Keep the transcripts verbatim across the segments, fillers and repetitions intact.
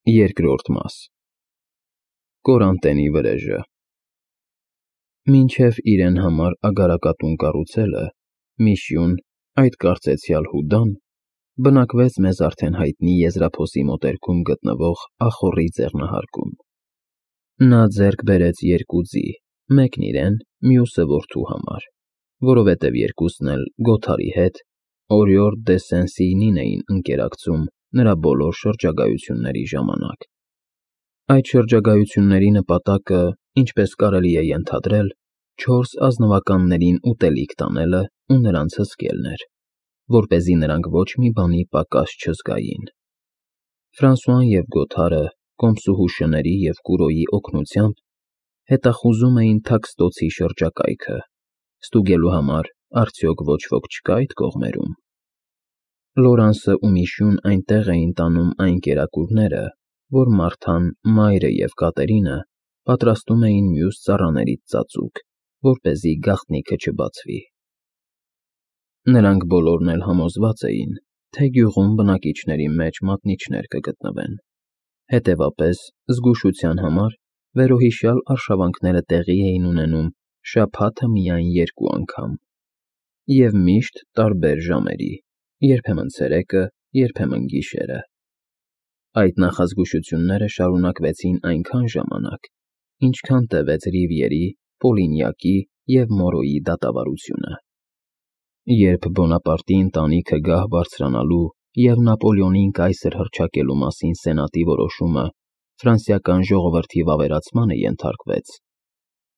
Երկրորդ մաս Կորանտենի վրեժը Մինչև իրեն համար ագարակատուն կառուցելը, Միշյուն, այդ կարծեցյալ Հուդան, բնակվեց մեզ արդեն հայտնի Եզրափոսի մոտերքում գտնվող ախոռի ձեղնահարկում. Նա ձեռք բերեց երկու ձի, մեկն իրեն, մյուսը որդու համար, որովհետև երկուսն էլ Գոթարի հետ Օրիորդ դե Սեն-Սիյնին էին ընկերակցում նրա բոլոր շրջագայությունների ժամանակ։ Այդ շրջագայությունների նպատակը, ինչպես կարելի է ենթադրել, չորս ազնվականներին ուտելիք տանելը ու նրանց հսկելն էր, որպեսզի նրանք ոչ մի բանի պակաս չզգային։ Ֆրանսուան և Գոթարը կոմսուհու շների և Կուրոյի օգնությամբ հետախուզում էին Թաքստոցի շրջակայքը, ստուգելու համար արդյոք ոչ ոք չկա՞ այդ կողմերում։ Լորանսը ու Միշյուն այնտեղ էին տանում այն կերակուրները, որ Մարթան, Մայրը և Կատերինը պատրաստում էին մյուս ծառաներից ծածուկ, որպեսզի գաղտնիքը չբացվի։ Նրանք բոլորն էլ համոզված էին, թե գյուղում բնակիչների մեջ մատնիչներ կգտնվեն, հետևապես, զգուշության համար վերոհիշյալ արշավանքները տեղի էին ունենում շաբաթը միայն երկու անգամ և միշտ տարբեր ժամերի, երբեմն ցերեկը, երբեմն գիշերը։ Այդ նախազգուշությունները շարունակվեցին այնքան ժամանակ, ինչքան տևեց Ռիվիերի, Պոլինյակի և Մորոյի դատավարությունը։ Երբ Բոնապարտի ընտանիքը գահ բարձրանալու և Նապոլեոնին կայսր հռչակելու մասին սենատի որոշումը ֆրանսիական ժողովրդի վավերացմանը ենթարկվեց,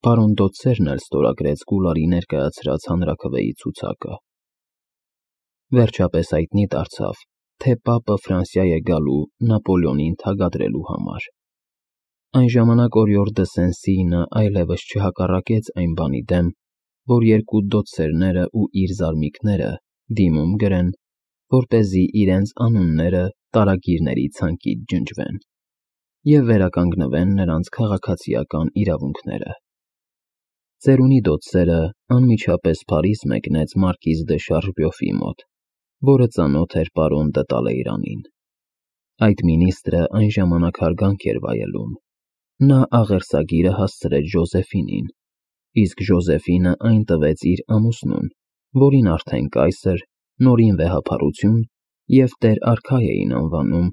պարոն Դոդսերն էլ ստորագրեց Գուլարի ներկայացրած հանրաքվեի ցուցակը։ Վերջապես հայտնի դարձավ, թե պապը Ֆրանսիա է գալու Նապոլեոնին թագադրելու համար։ Այն ժամանակ Օրիորդ դե Սեն-Սիյնը այլևս չհակառակեց այն բանի դեմ, որ երկու Դոդսերները ու իր զարմիկները դիմում գրեն, որպեսզի իրենց անունները տարագիրների ցանկից ջնջվեն և վերականգնվեն նրանց քաղաքացիական իրավունքները։ Ծերունի Դոդսերը անմիջապես Փարիզ մեկնեց մարկիզ դե Շարժբյոֆի մոտ, որը ծանոթ էր պարոն դը Տալեյրանին։ Այդ մինիստրը այն ժամանակ հարգանք էր վայելում։ Նա աղերսագիրը հասցրեց Ժոզեֆինին, իսկ Ժոզեֆինը այն տվեց իր ամուսնուն, որին արդեն կայսր, նորին վեհափառություն և տեր֊արքա էին անվանում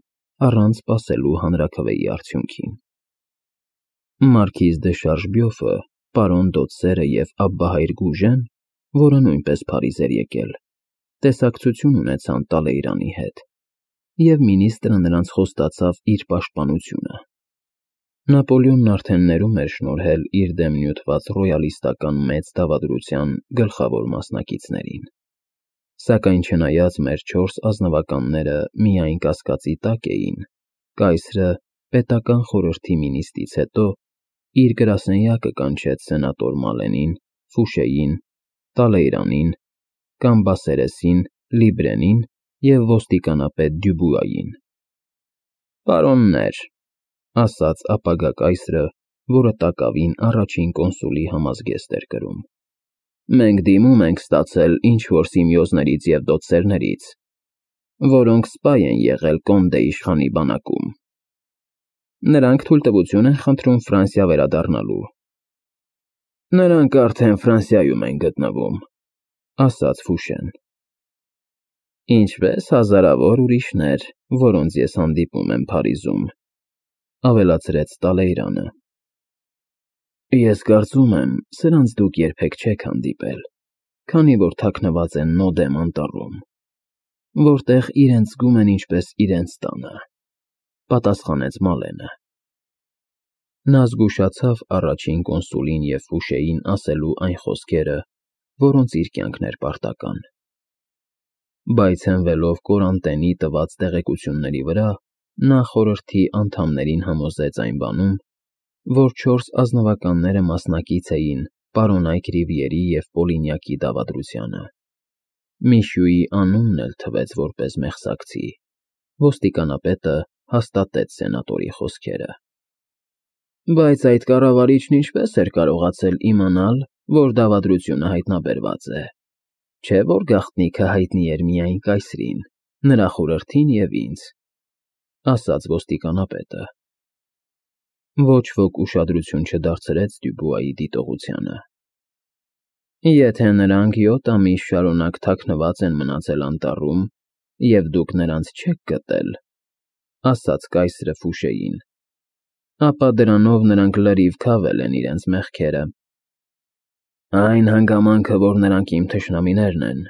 առանց սպասելու հանրաքվեի արդյունքին։ Մարկիզ դե Շարժբյոֆը, պարոն Դոդսերը և Աբբահայր Գուժեն, որը նույնպես Փարիզ էր եկել, տեսակցություն ունեցան Տալեյրանի հետ, և մինիստրը նրանց խոստացավ իր պաշտպանությունը։ Նապոլեոնն արդեն ներում էր շնորհել իր դեմ նյութված ռոյալիստական մեծ դավադրության գլխավոր մասնակիցներին։ Սակայն չնայած մեր չորս ազնվականները միայն կասկածի տակ էին, կայսրը, պետական խորհրդի նիստից հետո, իր գրասենյակը կանչեց սենատոր Մալենին, Ֆուշեին, Տալեյրանին, Կամբասերեսին, Լիբրենին և ոստիկանապետ Դյուբուային։ «Պարոններ», ասաց ապագա կայսրը, որը տակավին առաջին կոնսուլի համազգեստ էր կրում, մենք դիմում ենք ստացել ինչ-որ Սիմեոզներից և Դոդսերներից, որոնք սպայ են եղել Կոնդե իշխանի բանակում։ Նրանք թույլտվություն են խնդրում Ֆրանսիա վերադառնալու։ Նրանք արդեն Ֆրանսիայում են գտնվում, ասաց Ֆուշեն։ Ինչպես հազարավոր ուրիշներ, որոնց ես հանդիպում եմ Փարիզում, ավելացրեց Տալեյրանը։ Ես կարծում եմ, սրանց դուք երբեք չեք հանդիպել, քանի որ թաքնված են Նոդեմ անտառում, որտեղ իրենց զգում են ինչպես իրենց տանը, պատասխանեց Մալենը։ Նա զգուշացավ առաջին կոնսուլին և Ֆուշեին ասելու այն խոսքերը, որոնց իր կյանքն էր պարտական։ Բայց հենվելով Կորանտենի տված տեղեկությունների վրա, նա խորհրդի անդամներին համոզեց այն բանում, որ չորս ազնվականները մասնակից էին պարոնայք Ռիվիերի և Պոլինյակի դավադրությանը։ Միշյուի անունն էլ թվեց որպես մեղսակցի։ Ոստիկանապետը հաստատեց սենատորի խոսքերը։ Բայց այդ կառավարիչն ինչպես էր կարողացել իմանալ, որ դավադրությունը հայտնաբերված է, չէ՞ որ գաղտնիքը հայտնի էր միայն կայսրին, նրա խորհրդին և ինձ։ ասաց ոստիկանապետը։ Ոչ ոք ուշադրություն չդարձրեց Դյուբուայի դիտողությանը։ Եթե նրանք յոթ ամիս շարունակ թաքնված են մնացել անտառում, և դուք նրանց չեք գտել, ասաց կայսրը Ֆուշեին, ապա դրանով նրանք լրիվ քավել են իրենց մեղքերը։ Այն հանգամանքը, որ նրանք իմ թշնամիներն են,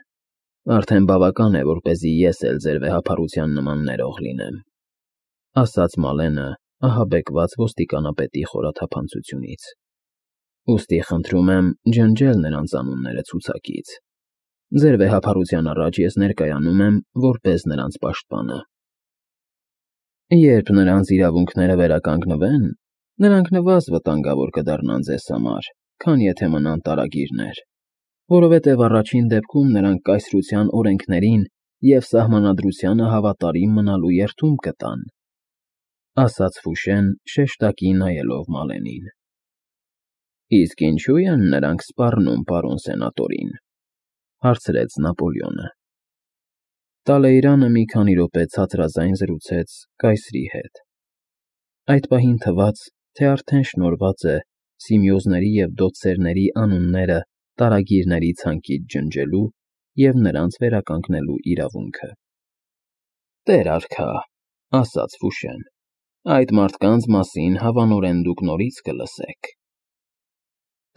արդեն բավական է, որպեսզի ես էլ ձեր վեհափառության նման ներող լինեմ, ասաց Մալենը, ահաբեկված ոստիկանապետի խորաթափանցությունից։ Ուստի խնդրում եմ ջնջել նրանց անունները ցուցակից։ Ձեր վեհափառության առաջ ես ներկայանում եմ որպես նրանց պաշտպանը։ Երբ նրանց իրավունքները վերականգնվեն, նրանք նվազ վտանգավոր կդառնան ձեզ համար, քան եթե մնան տարագիրներ, որովհետև առաջին դեպքում նրանք կայսրության օրենքներին և սահմանադրությանը հավատարիմ մնալու երդում կտան, ասաց Ֆուշեն, շեշտակի նայելով Մալենին։ Իսկ ինչու են նրանք սպառնում պարոն սենատորին, հարցրեց Նապոլեոնը։ Տալեյրանը մի քանի րոպե ցածրաձայն զրուցեց կայսրի հետ։ Այդ պահին թվաց, թե արդեն շնորհված է Սիմեոզների և դոցերների անունները տարագիրների ցանկից ջնջելու և նրանց վերականգնելու իրավունքը։ Տեր արքա, ասաց Ֆուշեն, այդ մարդկանց մասին հավանորեն դուք նորից կլսեք։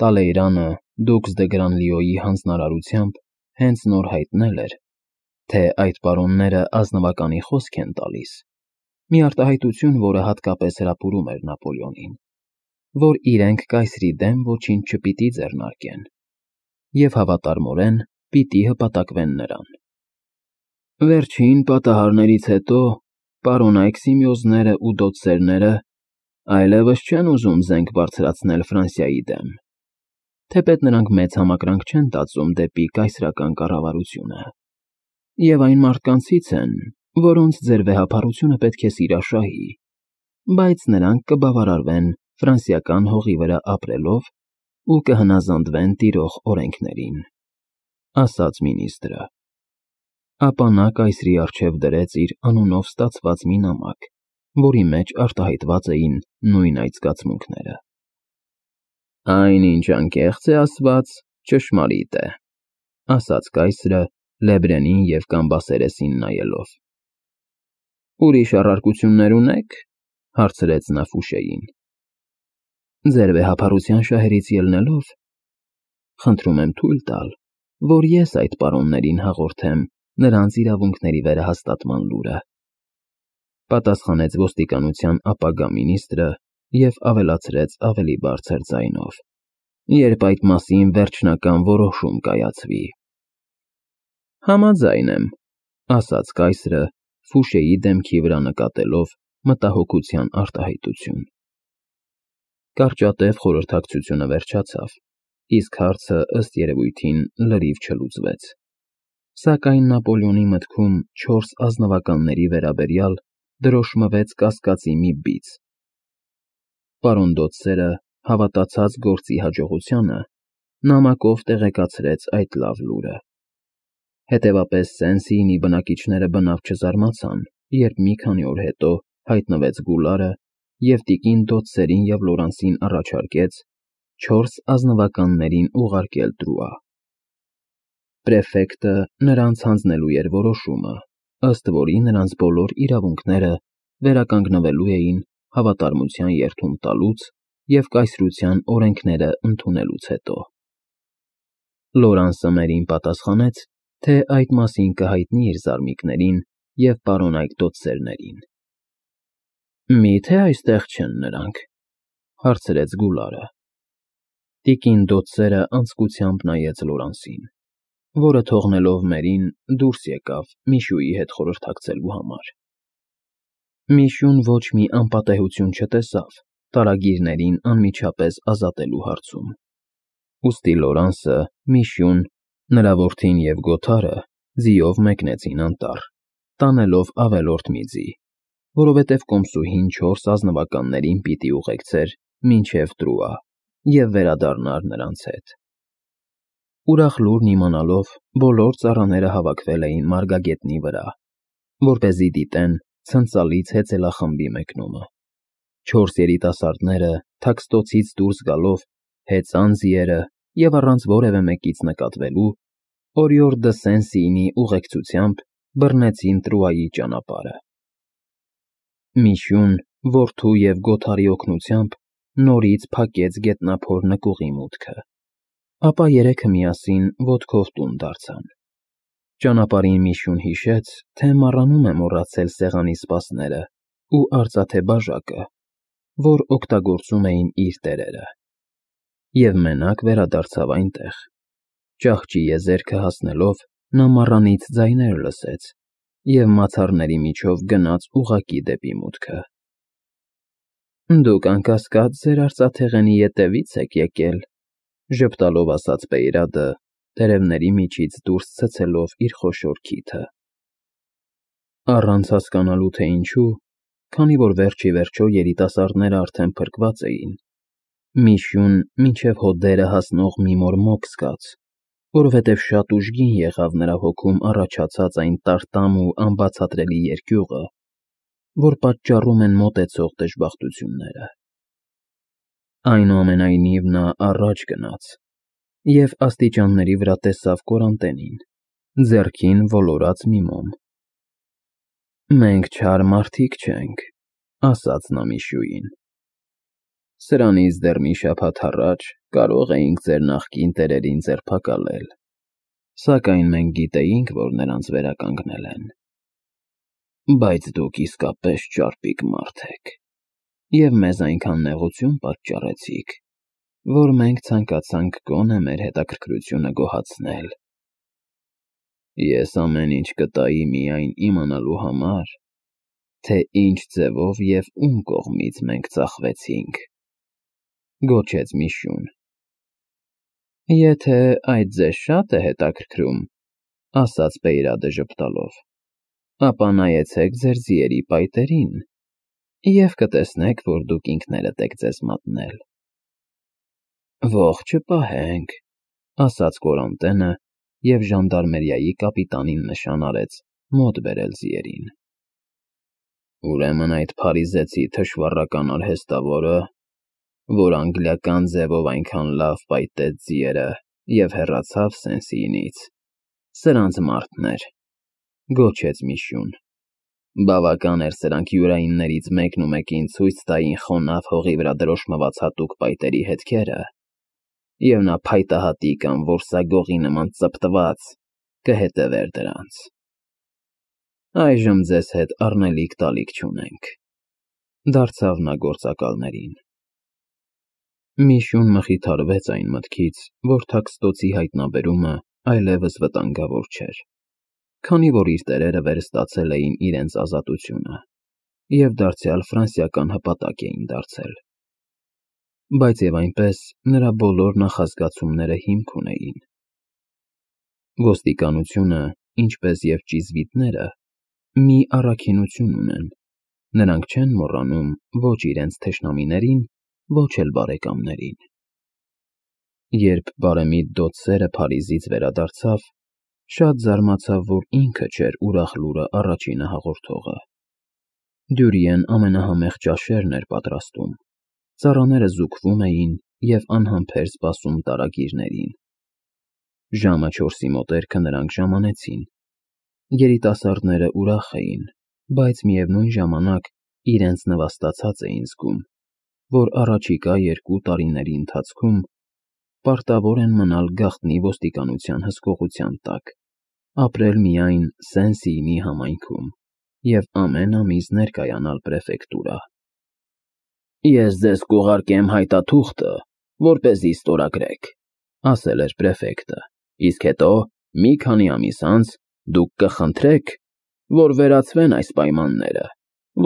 Տալեյրանը Դուքս դե Գրանլիոյի հանձնարարությամբ հենց նոր հայտնել էր, թե այդ պարոնները ազնվականի խոսք են տալիս, մի արտահայտություն, որը հատկապես հրապուրում էր Նապոլեոնին, որ իրենք կայսրի դեմ ոչինչ չպիտի ձեռնարկեն և հավատարմորեն պիտի հպատակվեն նրան։ Վերջին պատահարներից հետո պարոնայք Սիմեոզներն ու դոցերները այլևս չեն ուզում զենք բարձրացնել Ֆրանսիայի դեմ, թեպետ նրանք մեծ համակրանք չեն տածում դեպի կայսրական կառավարությունը, և այն մարդկանցից են, որոնց ձեր վեհափառությունը պետք է սիրաշահի, բայց նրանք կբավարարվեն ֆրանսիական հողի վրա ապրելով ու կհնազանդվեն տիրող օրենքներին, ասաց մինիստրը։ Ապա նա կայսրի առջև դրեց իր անունով ստացված մի նամակ, որի մեջ արտահայտված էին նույն այդ զգացմունքները։ Այն, ինչ անկեղծ է ասված, ճշմարիտ է, ասաց կայսրը Լեբրենին և Կամբասերեսին նայելով։ Ուրիշ առարկություններ ունե՞ք, հարցրեց նա Ֆուշեին։ Ձեր վեհափառության շահերից ելնելով, խնդրում եմ թույլ տալ, որ ես այդ պարոններին հաղորդեմ նրանց իրավունքների վերահաստատման լուրը, պատասխանեց ոստիկանության ապագա մինիստրը և ավելացրեց ավելի բարձր ձայնով, երբ այդ մասին վերջնական որոշում կայացվի։ Համաձայն եմ, ասաց կայսրը Ֆուշեի դեմքի վրա նկատելով մտահոգության արտահայտություն։ Կարճատև խորհրդակցությունը վերջացավ, իսկ հարցը ըստ երևույթին լրիվ չլուծվեց, սակայն Նապոլեոնի մտքում չորս ազնվականների վերաբերյալ դրոշմվեց կասկածի մի բիծ։ Պարոն դոցերը, հավատացած գործի հաջողությանը, նամակով տեղեկացրեց այդ լավ լուրը։ Հետևապես Սեն-Սիինի բնակիչները բնավ չզարմացան, երբ մի քանի օր հետո հայտնվեց Գուլարը և տիկին Դոցերին և Լորանսին առաջարկեց չորս ազնվականներին ուղարկել Տրուա։ Պրեֆեկտը նրանց հանձնելու էր որոշումը, ըստ որի նրանց բոլոր իրավունքները վերականգնվելու էին հավատարմության երդում տալուց և կայսրության օրենքները ընդունելուց հետո։ Լորանսը մերին պատասխանեց, թե այդ մասին կհայտնի իր զարմիկներին և պարոնայք դոցերներին։ Մի՞թե այստեղ չեն նրանք, հարցրեց Գուլարը։ Տիկին Դոցերը անձկությամբ նայեց Լորանսին, որը թողնելով մերին դուրս եկավ Միշուի հետ խորհրդակցելու համար։ Միշուն ոչ մի անպատեհություն չտեսավ տարագիրներին անմիջապես ազատելու հարցում։ Ուստի Լորանսը, Միշուն, նրա որդին և Գոթարը ձիով մեկնեցին անտառ, տանելով ավելորդ մի ձի, որովհետև կոմսուհին չորս ազնվականներին պիտի ուղեկցեր մինչև Տրուա և վերադառնար նրանց հետ։ Ուրախ լուրն իմանալով, բոլոր ծառաները հավաքվել էին մարգագետնի վրա, որպեսզի դիտեն, ցնցալից հեծելախմբի մեկնումը։ Չորս երիտասարդները թաքստոցից դուրս գալով, հեծան ձիերը և առանց որևէ մեկից նկատվելու, օրիորդ դը Սեն-Սիինի ուղեկցությամբ բռնեցին Տրուայի ճանապարհը։ Միշյուն, որդու և Գոթարի օգնությամբ նորից փակեց գետնափոր նկուղի մուտքը, ապա երեքը միասին ոտքով տուն դարձան։ Ճանապարհին Միշյուն հիշեց, թե մառանում է մոռացել սեղանի սպասները ու արծաթե բաժակը, որ օգտագործում էին իր տերերը, և մենակ վերադարձավ այնտեղ։ Ճահճի եզերքը հասնելով, նա մառանից ձայներ լսեց և մացառների միջով գնաց ուղղակի դեպի մուտքը։ «Դուք, անկասկած, ձեր արծաթեղենի ետևից եք եկել», ժպտալով ասաց Բեյրադը, տերևների միջից դուրս ցցելով իր խոշոր քիթը։ Առանց հասկանալու, թե ինչու, քանի որ վերջ ի վերջո երիտասարդները արդեն փրկված էին, Միշյուն մինչև հոդերը հասնող մի մորմոք զգաց, որովհետև շատ ուժգին եղավ նրա հոգում առաջացած այն տարտամ ու անբացատրելի երկյուղը, որ պատճառում են մոտեցող դժբախտությունները։ Այնուամենայնիվ նա առաջ գնաց և աստիճանների վրա տեսավ Կորանտենին, ձեռքին ոլորած մի մոմ։ «Մենք չար մարդիկ չենք», ասաց նա Միշյուին։ «Սրանից դեռ մի շաբաթ առաջ կարող էինք ձեր նախկին տերերին ձերբակալել, սակայն մենք գիտեինք, որ նրանց վերականգնել են։ Բայց դուք իսկապես ճարպիկ մարդ եք և մեզ այնքան նեղություն պատճառեցիք, որ մենք ցանկացանք գոնե մեր հետաքրքրությունը գոհացնել։ Ես ամեն ինչ կտայի միայն իմանալու համար, թե ինչ ձևով և ում կողմից մենք ծախվեցինք», գոչեց Միշյուն։ «Եթե այդ ձեզ շատ է հետաքրքրում, — ասաց Բեյրադը ժպտալով, — ապա նայեցեք ձեր ձիերի պայտերին և կտեսնեք, որ դուք ինքներդ եք ձեզ մատնել»։ «Ոխ չպահենք», — ասաց Կորանտենը և ժանդարմերիայի կապիտանին նշան արեց մոտ բերել ձիերին։ «Ուրեմն այդ փարիզեցի թշվառական արհեստավորը, որ անգլիական ձևով այնքան լավ պայտեց ձիերը և հեռացավ Սեն-Սիինից, սրանց մարդն էր», գոչեց Միշյուն։ «Բավական էր սրանք յուրայիններից մեկն ու մեկին ցույց տային խոնավ հողի վրա դրոշմված հատուկ պայտերի հետքերը, և նա փայտահատի կամ որսագողի նման ծպտված կհետևեր դրանց։ Այժմ ձեզ հետ առնելիք֊տալիք չունենք», դարձավ նա գործակալներին։ Միշյուն մխիթարվեց այն մտքից, որ թաքստոցի հայտնաբերումը այլևս վտանգավոր չէր, քանի որ իր տերերը վերստացել էին իրենց ազատությունը և դարձյալ ֆրանսիական հպատակ էին դարձել։ Բայց և այնպես նրա բոլոր նախազգացումները հիմք ունեին։ Ոստիկանությունը, ինչպես և ճիզվիտները, մի առաքինություն ունեն. նրանք չեն մոռանում ոչ իրենց թշնամիներին, ոչ էլ բարեկամներին։ Երբ բարեմիտ Դոցսերը Փարիզից վերադարձավ, շատ զարմացավ, որ ինքը չէր ուրախ լուրը առաջինը հաղորդողը։ Դյուրիեն ամենահամեղ ճաշերն էր պատրաստում, ծառաները զուգվում էին և անհամբեր սպասում տարագիրներին։ Ժամը չորսի մոտերքը նրանք ժամանեցին։ Երիտասարդները ուրախ էին, բայց միևնույն ժամանակ իրենց նվաստացած էին զգում, որ առաջիկա երկու տարիների ընթացքում պարտավոր են մնալ գաղտնի ոստիկանության հսկողության տակ, ապրել միայն Սեն-Սիինի համայնքում և ամեն ամիս ներկայանալ պրեֆեկտուրա։ «Ես ձեզ կուղարկեմ հայտաթուղթը, որպեսզի ստորագրեք», — ասել էր պրեֆեկտը, «իսկ հետո, մի քանի ամիս անց, դուք կխնդրեք, որ վերացվեն այս պայմանները,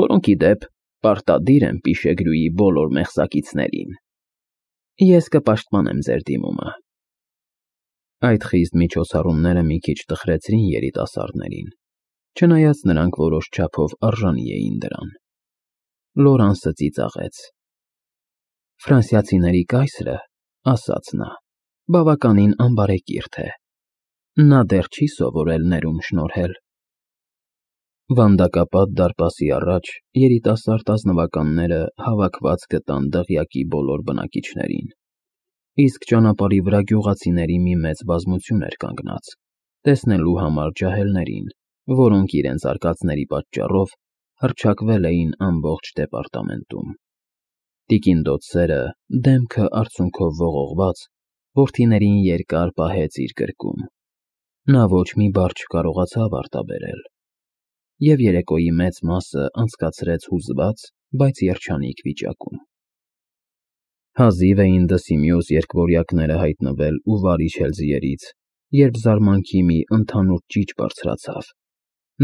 որոնք, ի դեպ, պարտադիր են Պիշեգրուի բոլոր մեղսակիցներին։ Ես կպաշտպանեմ ձեր դիմումը»։ Այդ խիստ միջոցառումները մի քիչ տխրեցրին երիտասարդներին, չնայած նրանք որոշ չափով արժանի էին դրան։ Լորանսը ծիծաղեց։ «Ֆրանսիացիների կայսրը, — ասաց նա, — բավականին անբարեկիրթ է. նա դեռ չի սովորել ներում շնորհել»։ Վանդակապատ դարպասի առաջ երիտասարդ ազնվականները հավաքված գտան դղյակի բոլոր բնակիչներին, իսկ ճանապարհի վրա գյուղացիների մի մեծ բազմություն էր կանգնած, տեսնելու համար ջահելներին, որոնք իրենց արկածների պատճառով հռչակվել էին ամբողջ դեպարտամենտում։ Տիկին Դոթսերը, դեմքը արցունքով ողողված, որդիներին երկար պահեց իր գրկում։ Նա ոչ մի բառ չկարողացավ արտաբերել, և երեկոյի մեծ մասը անցկացրեց հուզված, բայց երջանիկ վիճակում։ Հազիվ էին դսի մյուս երկվորյակները հայտնվել ու վար իջել ձիերից, երբ զարմանքի մի ընդհանուր ճիչ բարձրացավ,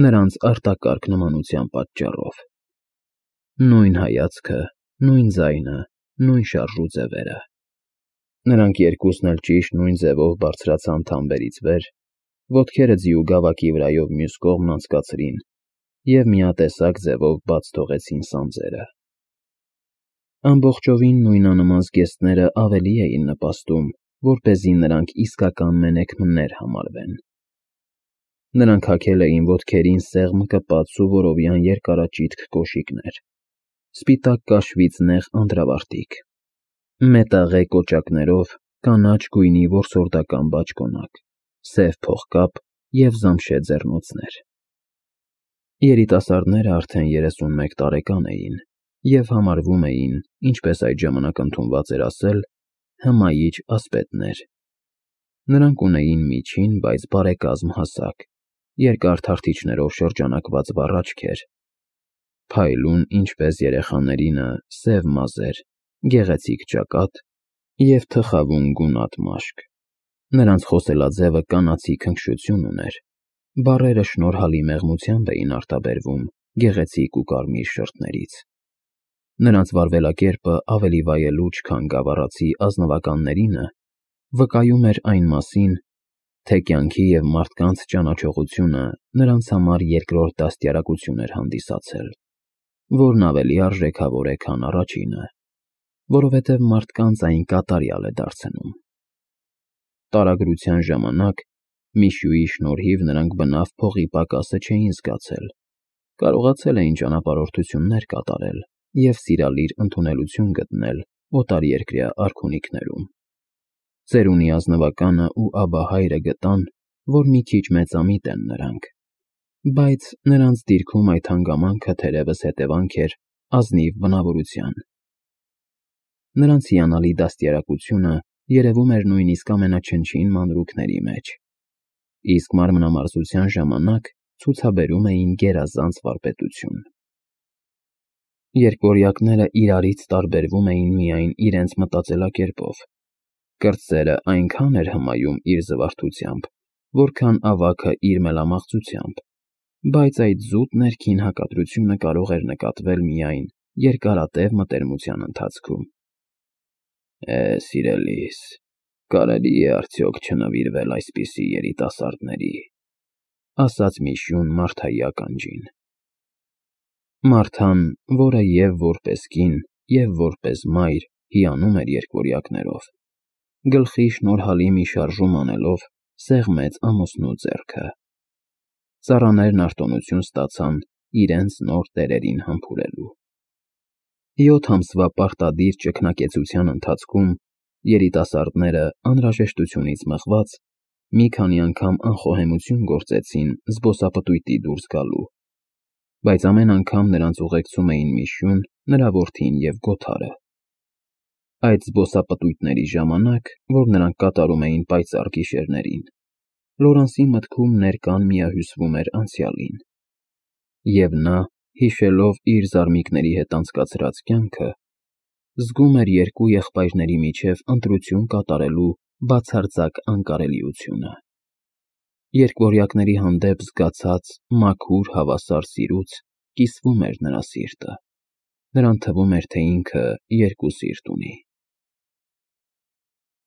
նրանց արտակարգ նմանության պատճառով։ Նույն հայացքը, նույն ձայնը, նույն շարժու ձևերը։ Նրանք երկուսն էլ ճիշտ նույն ձևով բարձրացան թամբերից վեր, ոտքերը ձիու գավակի վրայով մյուս կողմն անցկացրին և միատեսակ ձևով բաց թողեցին սանձերը։ Ամբողջովին նույնանման զգեստները ավելի էին նպաստում, որպեսզի նրանք իսկական մենեքմներ համարվեն։ Նրանք հագել էին ոտքերին սեղմ կպած սուվորովյան երկարաճիտ կոշիկներ, սպիտակ կաշվից նեղ անդրավարտիք, մետաղե կոճակներով, կանաչ գույնի որսորդական բաճկոնակ, սև փողկապ և զամշե ձեռնոցներ։ Երիտասարդները արդեն երեսունմեկ տարեկան էին և համարվում էին, ինչպես այդ ժամանակ ընդունված էր ասել, հմայիչ ասպետներ։ Նրանք ունեին միջին, բայց բարեկազմ հասակ, երկար թարթիչներով շրջանակված վառ աչքեր, փայլուն, ինչպես երեխաներինը, սև մազեր, գեղեցիկ ճակատ և թխավուն գունատ մաշկ։ Նրանց խոսելաձևը կանացի քնքշություն ուներ, բառերը շնորհալի մեղմությամբ էին արտաբերվում գեղեցիկ ու կարմիր շրթներից։ Նրանց վարվելակերպը ավելի վայելուչ, քան գավառացի ազնվականներինը, վկայում էր այն մասին, թե կյանքի և մարդկանց ճանաչողությունը նրանց համար երկրորդ դաստիարակություն էր հանդիսացել, որն ավելի արժեքավոր է, քան առաջինը, որովհետև մարդկանց այն կատարյալ է դարձնում։ Տարագրության ժամանակ Միշուի շնորհիվ նրանք բնավ փողի պակասը չէին զգացել, կարողացել էին ճանապարհորդություններ կատարել և սիրալիր ընդունելություն գտնել օտարերկրյա արքունիքներում։ Ծերունի ազնվականը ու աբահայրը գտան, որ մի քիչ մեծամիտ են նրանք, բայց նրանց դիրքում այդ հանգամանքը թերևս հետևանք էր ազնիվ բնավորության։ Նրանց հիանալի դաստիարակությունը երևում էր նույնիսկ ամենաչնչին մանրուքների մեջ, իսկ մարմնամարզության ժամանակ ցուցաբերում էին գերազանց վարպետություն։ Երկվորյակները իրարից տարբերվում էին միայն իրենց մտածելակերպով։ Կրտսերը այնքան էր հմայում իր զվարթությամբ, որքան ավագը իր մելամաղձությամբ, բայց այդ զուտ ներքին հակադրությունը կարող էր նկատվել միայն երկարատև մտերմության ընթացքում։ Է, սիրելիս, կարելի է արդյոք չնվիրվել այսպիսի երիտասարդների, ասաց Միշուն Մարթայի ականջին։ Մարթան, որը և որպես կին, և որպես մայր հիանում էր երկվորյակներով, գլխի շնորհալի մի շարժում անելով, սեղմեց ամուսնու ձեռքը։ Ծառաներն արտոնություն ստացան իրենց նոր տերերին համբուրելու։ Յոթ ամսվա պարտադիր ճգնակեցության ընթացքում երիտասարդները, անհրաժեշտությունից մղված, մի քանի անգամ անխոհեմություն գործեցին զբոսապտույտի դուրս գալու, բայց ամեն անգամ նրանց ուղեկցում էին Միշուն, նրա որդին և Գոթարը։ Այդ զբոսապտույտների ժամանակ, որ նրանք կատարում էին պայծառ գիշերներին, Լորանսի մտքում ներկան միահյուսվում էր անցյալին, և նա, հիշելով իր զարմիկների հետ անցկացրած կյանքը, զգում էր երկու եղբայրների միջև ընտրություն կատարելու բացարձակ անկարելիությունը։ Երկվորյակների հանդեպ զգացած մաքուր, հավասար սիրուց կիսվում էր նրա սիրտը, նրան թվում էր, թե ինքը երկու սիրտ ունի։